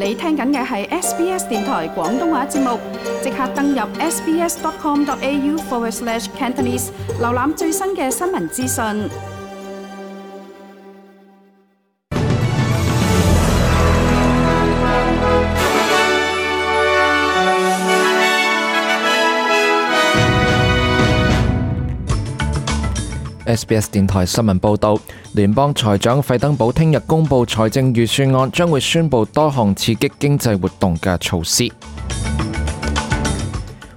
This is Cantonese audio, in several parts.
你聽緊嘅係 SBS 電台廣東話節目，即刻登入 sbs.com.au/Cantonese 瀏覽最新嘅新聞資訊。SBS 電台新聞報導，聯邦財長費登堡聽日公布財政預算案，將會宣布多項刺激經濟活動嘅措施。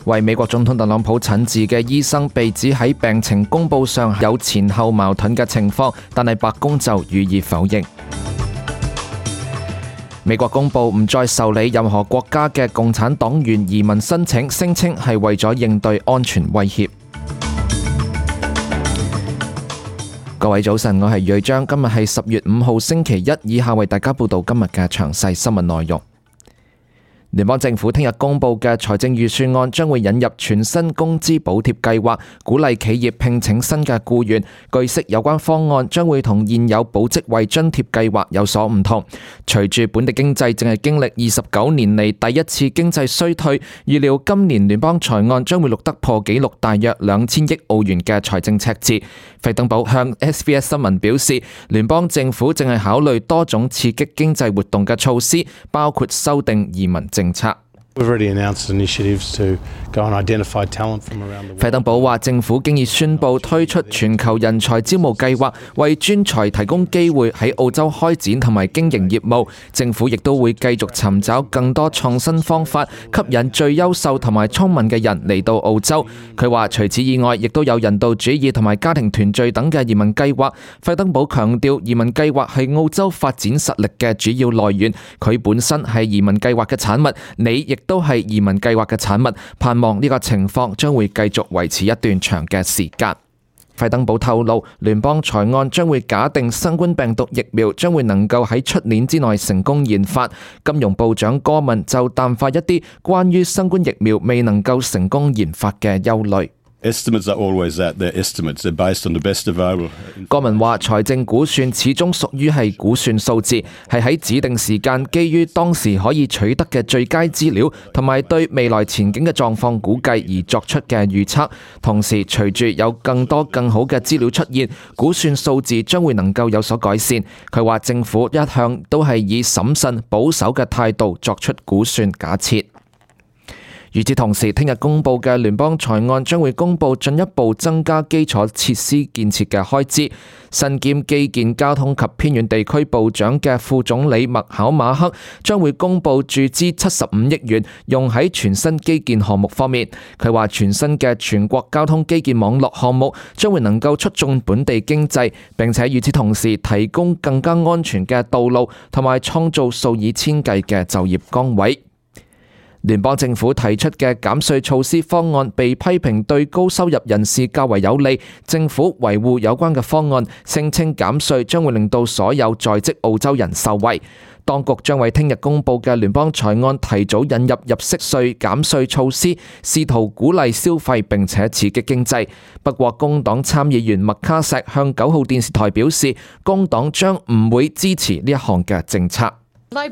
為美國總統特朗普診治嘅醫生被指喺病情公佈上有前後矛盾嘅情況，但係白宮就予以否認。美國公佈唔再受理任何國家嘅共產黨員移民申請，聲稱係為咗應對安全威脅。各位早晨，我係瑞章，今日係10月5號星期一，以下為大家報道今日嘅詳細新聞內容。聯邦政府聽日公布嘅財政預算案將會引入全新工資補貼計劃，鼓勵企業聘請新嘅僱員。據悉，有關方案將會同現有保職位津貼計劃有所唔同。隨住本地經濟正係經歷29年嚟第一次經濟衰退，預料今年聯邦財案將會錄得破紀錄大約2000億澳元嘅財政赤字。費登堡向 SBS 新聞表示，聯邦政府正係考慮多種刺激經濟活動嘅措施，包括修訂移民政策。費登堡話，政府經已宣布推出全球人才招募計劃，為專才提供機會喺澳洲開展同埋經營業務。政府亦都會繼續尋找更多創新方法，吸引最優秀同埋聰明嘅人嚟到澳洲。佢話，除此以外，亦都有人道主義同埋家庭團聚等嘅移民計劃。費登堡強調，移民計劃係澳洲發展實力嘅主要來源。佢本身係移民計劃嘅產物，你亦都係移民計劃嘅產物，盼望呢個情況將會繼續維持一段長嘅時間。費登堡透露，聯邦財案將會假定新冠病毒疫苗將會能夠喺出年之內成功研發。金融部長戈文就淡化一啲關於新冠疫苗未能夠成功研發嘅憂慮。戈文話，財政估算始終屬於係估算數字，係喺指定時間基於當時可以取得嘅最佳資料同埋對未來前景嘅狀況估計而作出嘅預測。同時，隨住有更多更好嘅資料出現，估算數字將會能夠有所改善。佢話政府一向都係以審慎保守嘅態度作出估算假設。與此同時，聽日公布嘅聯邦財案將會公布進一步增加基礎設施建設嘅開支。身兼基建、交通及偏遠地區部長嘅副總理麥考馬克將會公布注資75億元，用喺全新基建項目方面。佢話全新嘅全國交通基建網絡項目將會能夠促進本地經濟，並且與此同時提供更加安全嘅道路，同埋創造數以千計嘅就業崗位。聯邦政府提出嘅減稅措施方案被批評對高收入人士較為有利，政府維護有關嘅方案，聲稱減稅將會令到所有在職澳洲人受惠。當局將為聽日公布嘅聯邦財案提早引入入息稅減稅措施，試圖鼓勵消費並且刺激經濟。不過，工黨參議員麥卡錫向9號電視台表示，工黨將唔會支持呢一項嘅政策。麥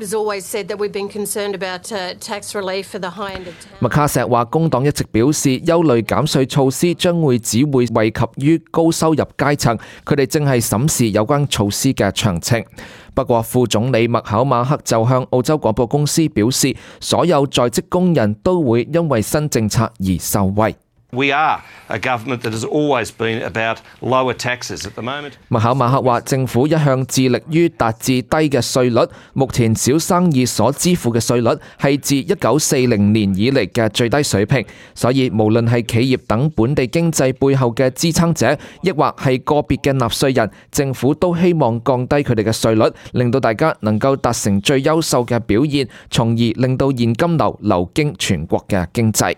卡錫話，工黨一直表示憂慮減稅措施將會只會惠及於高收入階層，佢哋正係審視有關措施嘅詳情。不過，副總理麥考馬克就向澳洲廣播公司表示，所有在職工人都會因為新政策而受惠。We are a government that has always been about lower taxes at the moment. 麥考馬克話，政府一向致力於達至低嘅稅率，目前小生意所支付嘅稅率係自1940年以嚟嘅最低水平，所以無論係企業等本地經濟背後嘅支撐者，抑或係個別嘅納稅人，政府都希望降低佢哋嘅稅率，令到大家能夠達成最優秀嘅表現，從而令到現金流流經全國嘅經濟。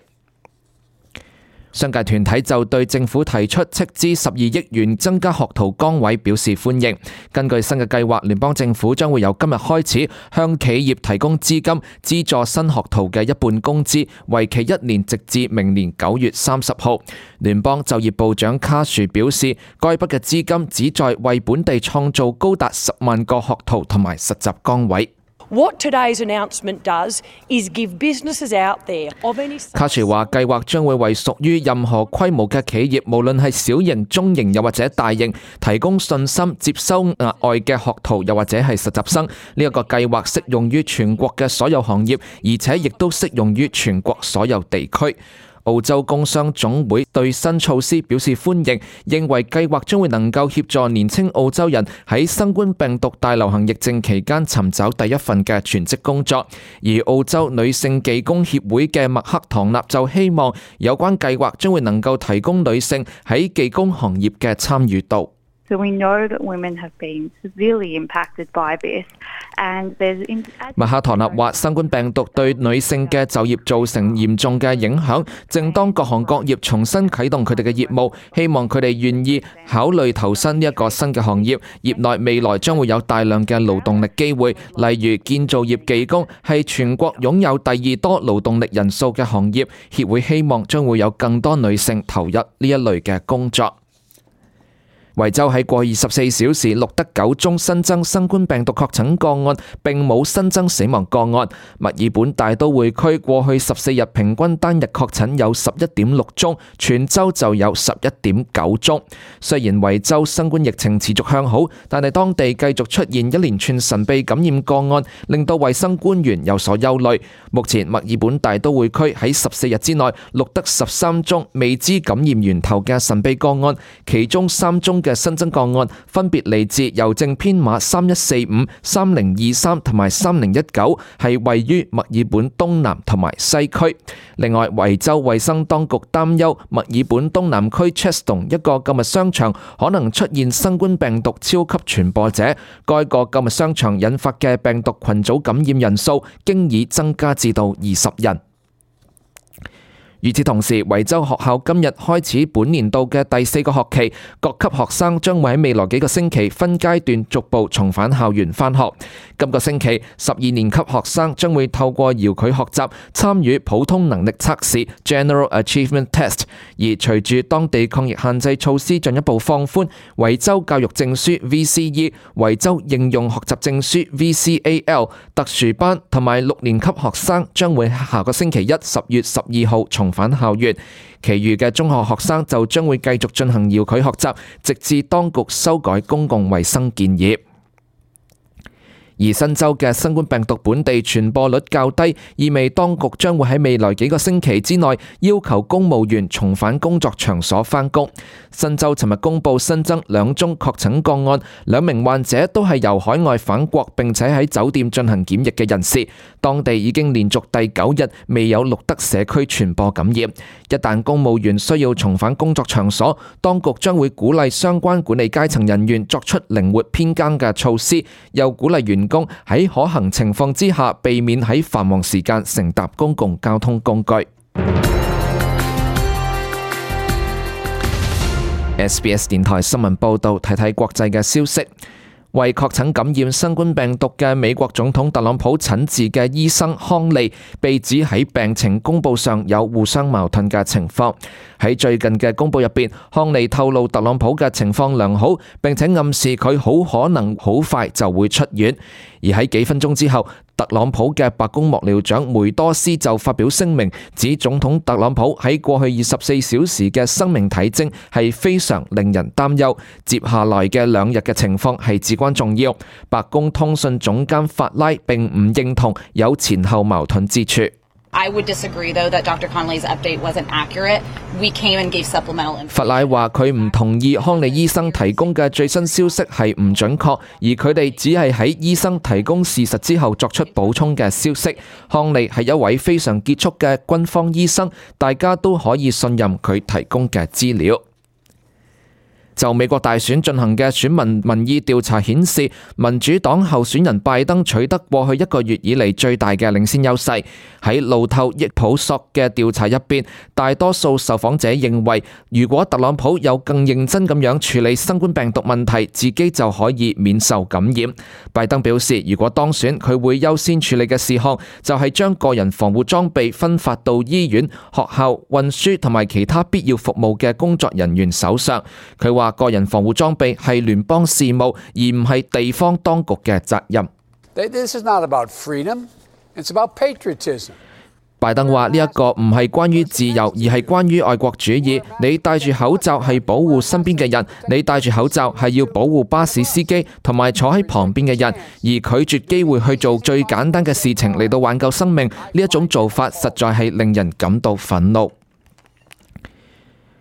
商界團體就對政府提出斥資12億元增加學徒崗位表示歡迎。根據新嘅計劃，聯邦政府將會由今日開始向企業提供資金，資助新學徒嘅一半工資，為期1年，直至明年9月30號。聯邦就業部長卡殊表示，該筆嘅資金旨在為本地創造高達10萬個學徒同埋實習崗位。What today's announcement does is give businesses out there of any size. 卡殊話，計劃將會為屬於任何規模嘅企業，無論係小型、中型又或者大型，提供信心接收額外嘅學徒又或者係實習生。呢一個計劃適用於全國嘅所有行業，而且亦都適用於全國所有地區。澳洲工商總會對新措施表示歡迎，認為計劃將會能夠協助年輕澳洲人喺新冠病毒大流行疫症期間尋找第一份嘅全職工作。而澳洲女性技工協會嘅麥克唐納就希望有關計劃將會能夠提供女性喺技工行業嘅參與度。So we know that women have been severely impacted by this, and there's 麥克唐納話，新冠病毒對女性嘅就業造成嚴重嘅影響。正當各行各業重新啟動佢哋嘅業務，希望佢哋願意考慮投身呢一個新嘅行業。業內未來將會有大量嘅勞動力機會，例如建造業技工係全國擁有第二多勞動力人數嘅行業。協會希望將會有更多女性投入呢一類嘅工作。維州喺過去24小時錄得9宗新增新冠病毒確診個案，並冇新增死亡個案。墨爾本大都會區過去14日平均單日確診有11.6宗，全州就有11.9宗。雖然維州新冠疫情持續向好，但係當地繼續出現一連串神秘感染個案，令到衛生官員有所憂慮。目前墨爾本大都會區喺14日之內錄得13宗未知感染源頭嘅神秘個案，其中3宗嘅新增個案分別嚟自郵政編碼3145、3023同埋3019，係位於墨爾本東南同埋西區。另外，維州衛生當局擔憂墨爾本東南區 Cheston 一個購物商場可能出現新冠病毒超級傳播者，該個購物商場引發嘅病毒群組感染人數經已增加至到20人。與此同時，維州學校今日開始本年度嘅第4個學期，各級學生將會喺未來幾個星期分階段逐步重返校園返學。今個星期，12年級學生將會透過遙距學習參與普通能力測試 General Achievement Test。而隨住當地抗疫限制措施進一步放寬，維州教育證書 VCE、維州應用學習證書 VCAL、特殊班同埋6年級學生將會下個星期一10月12號重返校園，其餘嘅中學學生就將會繼續進行遙距學習，直至當局修改公共衛生建議。而新州嘅新冠病毒本地傳播率較低，意味當局將會喺未來幾個星期之內要求公務員重返工作場所返工。新州尋日公布新增2宗確診個案，2名患者都係由海外返國並且喺酒店進行檢疫嘅人士。當地已經連續第9日未有錄得社區傳播感染。一旦公務員需要重返工作場所，當局將會鼓勵相關管理階層人員作出靈活編更嘅措施，又鼓勵員工喺可行情況之下避免喺繁忙時間乘搭公共交通工具。SBS 電台新聞報道，睇睇國際嘅消息。為確診感染新冠病毒嘅美國總統特朗普診治嘅醫生康利被指喺病情公佈上有互相矛盾嘅情況。喺最近嘅公佈入邊，康利透露特朗普嘅情況良好，並且暗示佢好可能好快就會出院。而喺幾分鐘之後，特朗普嘅白宮幕僚長梅多斯就發表聲明，指總統特朗普喺過去24小時嘅生命體徵係非常令人擔憂，接下來嘅2日嘅情況係至關重要。白宮通訊總監法拉並唔認同有前後矛盾之處。I would disagree, though, that Dr. Conley's update wasn't accurate. We came and gave supplemental information. 法拉話佢唔同意康利醫生提供嘅最新消息係唔準確，而佢哋只係喺醫生提供事實之後作出補充嘅消息。康利係一位非常傑出嘅軍方醫生，大家都可以信任佢提供嘅資料。就美國大選進行嘅選民民意調查顯示，民主黨候選人拜登取得過去1個月以嚟最大嘅領先優勢。喺路透益普索嘅調查入邊，大多數受訪者認為，如果特朗普有更認真咁樣處理新冠病毒問題，自己就可以免受感染。拜登表示，如果當選，佢會優先處理嘅事項就係將個人防護裝備分發到醫院、學校、運輸同埋其他必要服務嘅工作人員手上。佢話個人防護裝備係聯邦事務，而唔係地方當局嘅責任。This is not about freedom, it's about patriotism. 拜登話呢一個唔係關於自由，而係關於愛國主義。你戴住口罩係保護身邊嘅人，你戴住口罩係要保護巴士司機同埋坐喺旁邊嘅人，而拒絕機會去做最簡單嘅事情嚟到挽救生命，呢一種做法實在係令人感到憤怒。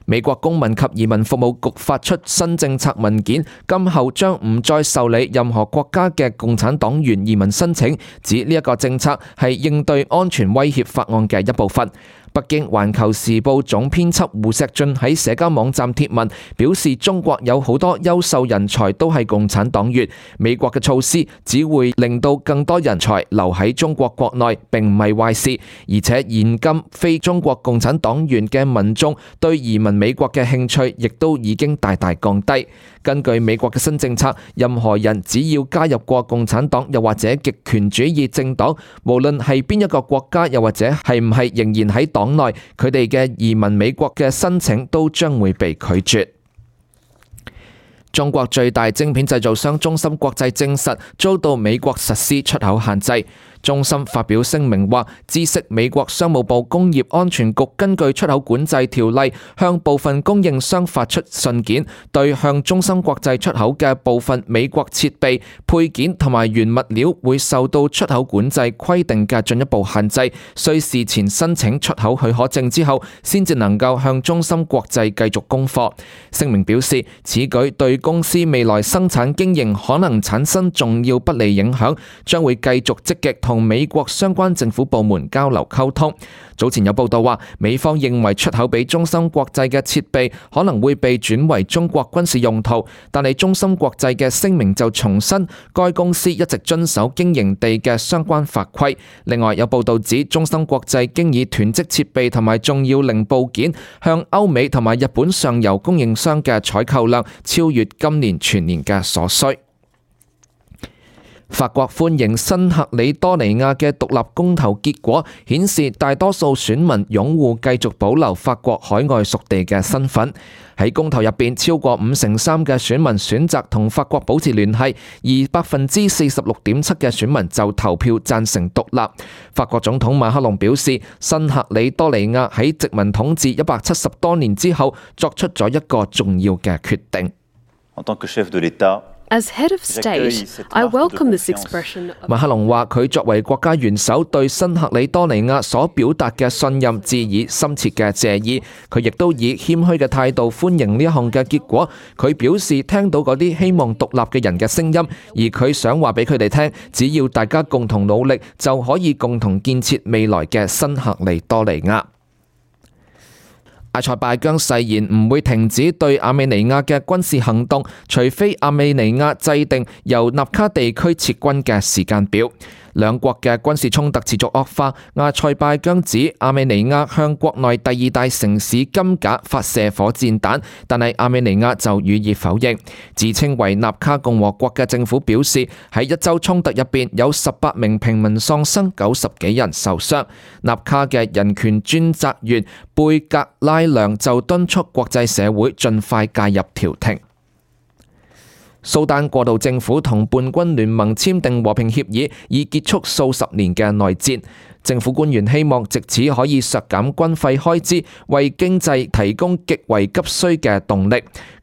美國公民及移民服務局發出新政策文件，今後將唔再受理任何國家嘅共產黨員移民申請，指呢一個政策係應對安全威脅法案嘅一部分。北京環球時報總編輯胡錫進喺社交網站貼文表示，中國有好多優秀人才都係共產黨員，美國嘅措施只會令到更多人才留喺中國國內，並唔係壞事，而且現今非中國共產黨員嘅民眾對移民美國嘅興趣亦都已經大大降低。根據美國嘅新政策，任何人只要加入過共產黨又或者極權主義政黨，無論係邊一個國家又或者係唔係仍然喺黨內，佢哋嘅移民美國嘅申請都將會被拒絕。中國最大晶片製造商中芯國際證實遭到美國實施出口限制。中芯發表聲明話，知悉美國商務部工業安全局根據出口管制條例向部分供應商發出信件，對向中芯國際出口嘅部分美國設備、配件同埋原物料會受到出口管制規定嘅進一步限制，需事前申請出口許可證之後，先至能夠向中芯國際繼續供貨。聲明表示，此舉對公司未來生產經營可能產生重要不利影響，將會繼續積極同美國相關政府部門交流溝通。早前有報道話，美方認為出口俾中芯國際嘅設備可能會被轉為中國軍事用途，但係中芯國際嘅聲明就重申，該公司一直遵守經營地嘅相關法規。另外有報道指，中芯國際經已囤積設備同埋重要零部件，向歐美同埋日本上游供應商嘅採購量超越今年全年嘅所需。法國歡迎新克里多尼亞嘅獨立公投結果，顯示大多數選民擁護繼續保留法國海外屬地嘅身份。喺公投入邊，超過53%嘅選民選擇同法國保持聯繫，而46.7%嘅選民就投票贊成獨立。法國總統馬克龍表示，新克里多尼亞喺殖民統治170多年之後，作出咗一個重要嘅決定。As head of state, I welcome this expression. 馬克龍話：佢作為國家元首，對新克里多尼亞所表達嘅信任致以深切嘅謝意。佢亦都以謙虛嘅態度歡迎呢一項嘅結果。佢表示聽到嗰啲希望獨立嘅人嘅聲音，而佢想話俾佢哋聽，只要大家共同努力，就可以共同建設未來嘅新克里多尼亞。阿塞拜疆誓言唔會停止對亞美尼亞嘅軍事行動，除非亞美尼亞制定由納卡地區撤軍嘅時間表。兩國嘅軍事衝突持續惡化，阿塞拜疆指亞美尼亞向國內第二大城市金賈發射火箭彈，但係亞美尼亞就予以否認。自稱為納卡共和國嘅政府表示，喺一週衝突入邊有18名平民喪生，90幾人受傷。納卡嘅人權專責員貝格拉良就敦促國際社會盡快介入調停。蘇丹過渡政府同叛軍聯盟簽訂和平協議，以結束數十年嘅內戰。政府官員希望藉此可以削減軍費開支，為經濟提供極為急需嘅動力。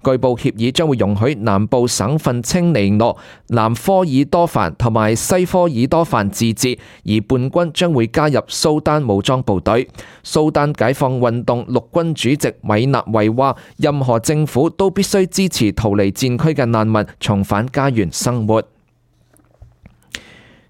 據報協議將會容許南部省份青尼諾、南科爾多凡同埋西科爾多凡自治，而叛軍將會加入蘇丹武裝部隊。蘇丹解放運動陸軍主席米納維話：任何政府都必須支持逃離戰區嘅難民重返家園生活。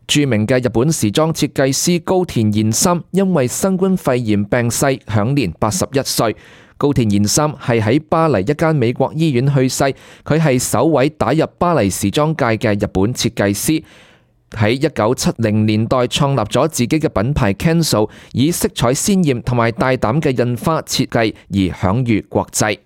著名嘅日本時裝設計師高田研三因為新冠肺炎病逝，享年81歲。高田研三係喺巴黎一間美國醫院去世，佢係首位打入巴黎時裝界嘅日本設計師。喺1970年代創立咗自己嘅品牌 Kenzo， 以色彩鮮豔同埋大膽嘅印花設計而享譽國際。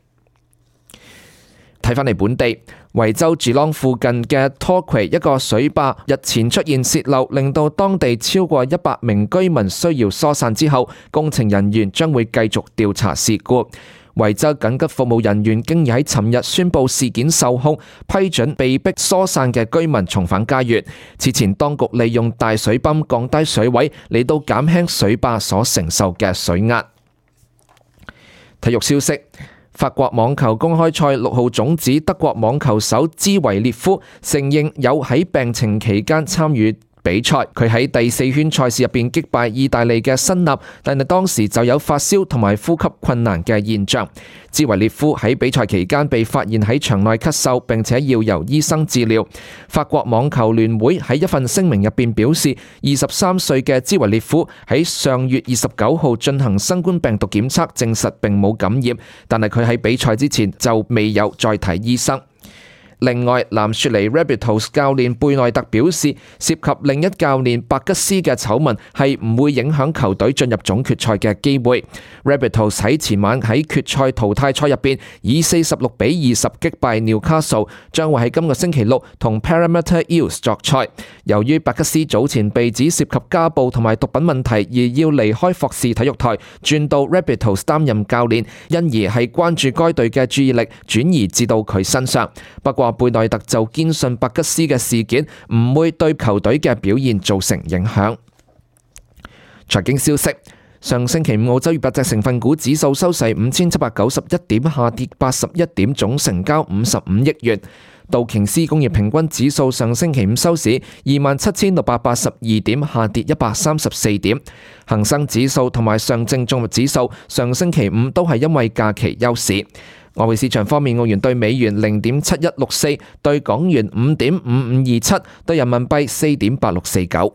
睇返嚟本地，維州住朗附近嘅 Torquay 一個水壩日前出現洩漏，令到當地超過100名居民需要疏散之後，工程人員將會繼續調查事故。維州緊急服務人員經已喺尋日宣布事件受控，批准被迫疏散嘅居民重返家園。此前當局利用大水泵降低水位嚟到減輕水壩所承受嘅水壓。體育消息，法國網球公開賽6號種子德國網球手茲維列夫承認有喺病情期間參與比賽，佢喺第4圈賽事入邊擊敗意大利嘅辛納，但係當時就有發燒同埋呼吸困難嘅現象。茲維列夫喺比賽期間被發現喺場內咳嗽，並且要由醫生治療。法國網球聯會喺一份聲明入邊表示，23歲嘅茲維列夫喺上月29號進行新冠病毒檢測，證實並冇感染，但係佢喺比賽之前就未有再睇醫生。另外，藍雪梨 Rabbitohs 教練貝內特表示，涉及另一教練白吉斯嘅醜聞係唔會影響球隊進入總決賽嘅機會。Rabbitohs 喺前晚喺決賽淘汰賽入邊以46-20擊敗紐卡素，將會喺今個星期六同 Parramatta Eels 作賽。由於白吉斯早前被指涉及家暴同埋毒品問題而要離開霍士體育台，轉到 Rabbitohs 擔任教練，因而係關注該隊嘅注意力轉移至到佢身上。不過貝內特就堅信白吉斯嘅事件唔會對球隊嘅表現造成影響。財經消息，上星期五澳洲200隻成分股指數收市5791點，下跌81點，總成交55億元。道瓊斯工業平均指數上星期五收市27,682點，下跌134點。恒生指數同埋上證綜合指數上星期五都係因為假期休市。外匯市場方面，澳元對美元0.7164，對港元5.5527，對人民幣4.8649。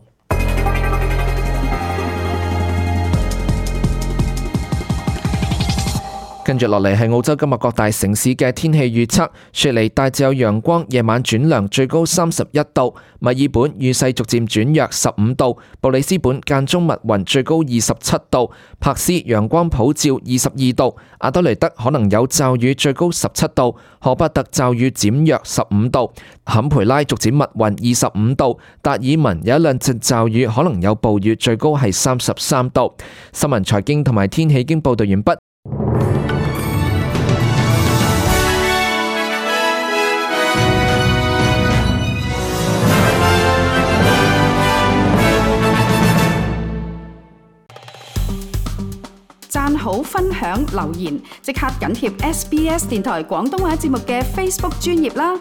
跟住落嚟係澳洲今日各大城市嘅天氣預測。雪梨大致有陽光，夜晚轉涼，最高31度；墨爾本雨勢逐漸轉弱，15度；布里斯本間中密雲，最高27度；珀斯陽光普照，22度；阿德雷德可能有驟雨，最高17度；荷伯特驟雨漸弱，15度；坎培拉逐漸密雲，25度；達爾文有一兩陣驟雨，可能有暴雨，最高係33度。新聞財經同埋天氣已經報道完畢。讚好、分享、留言，即刻緊貼SBS 電台廣東話節目嘅 Facebook 專頁啦！